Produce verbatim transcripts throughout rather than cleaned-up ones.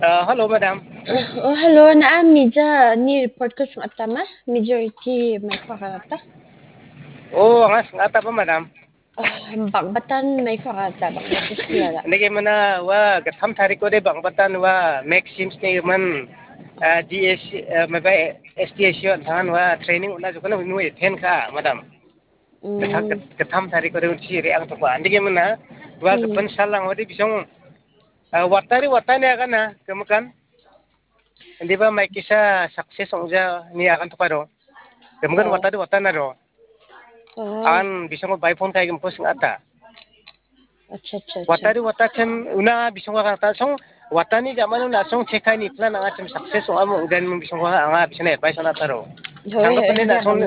Uh, hello, madam. Oh, hello. Na, mija ni report ko sing·atama? Majority mai ko aganata? Oh, anga sing·ataba, madam. Oh, bang·batan mai ko aganata, bang·batan sing·ata. Nike mana wa gatam tariko de bang·batan wa Maxims ni man, uh, D S, uh, maba S T S U an tangan wa training una jokana nui ten ka, madam. Gatham, gatham tariko de unchi re ang tokwa. Andike mana, wa gapan salang wadi bisong, ah, watari watani agana, kemukan. Andiba mai kisa success ongja ni agan tokaro. Kemukan watari watana ro. An bisong bai phone kai kemko sing ata. Acha, acha, acha. Watari watakem una bisong ka ta song watani jamano na song chekai ni plan anga chem success ong amo dan mung bisong ka anga bisong advice ana taro. Changka pene na song,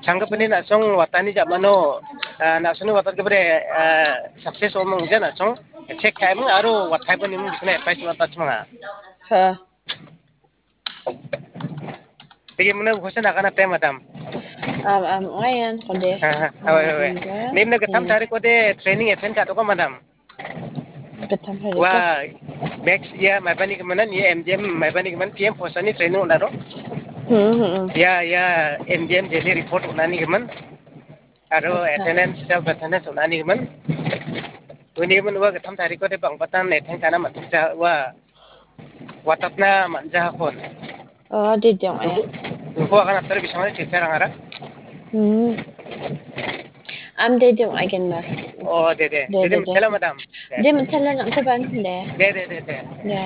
changka pene na song watani jamano, ah, na song watar ke bre, ah, success ong mung jan na song chekai mung aro watai pene mung bisong advice ana ta chunga. Ha. Tigi muna question agana te, madam. Am, am, ayan, kode. Ha, ha, awa, awa. Nim na gatham tarik kode training attend ka to ka, madam. Gatham tarik. Wa, next year mai bani kemana ni M D M mai bani keman P M post ani training unaro. Hmm, hmm, hmm. Ya, ya, M D M daily report unani keman. Aro attendance, self attendance unani keman. Uni keman wa gatham tarik kode bang batan attend kana mat ja wa. Watatna manja kon. Oh, de dong, eh. Ko akan atar bisang ni checha rang ara. Hmm. Am de dong, again, ma. Oh, de, de. De, de, de, de. Mantela, madam. De, mantela nang ko ban, de. De, de, de, de. De.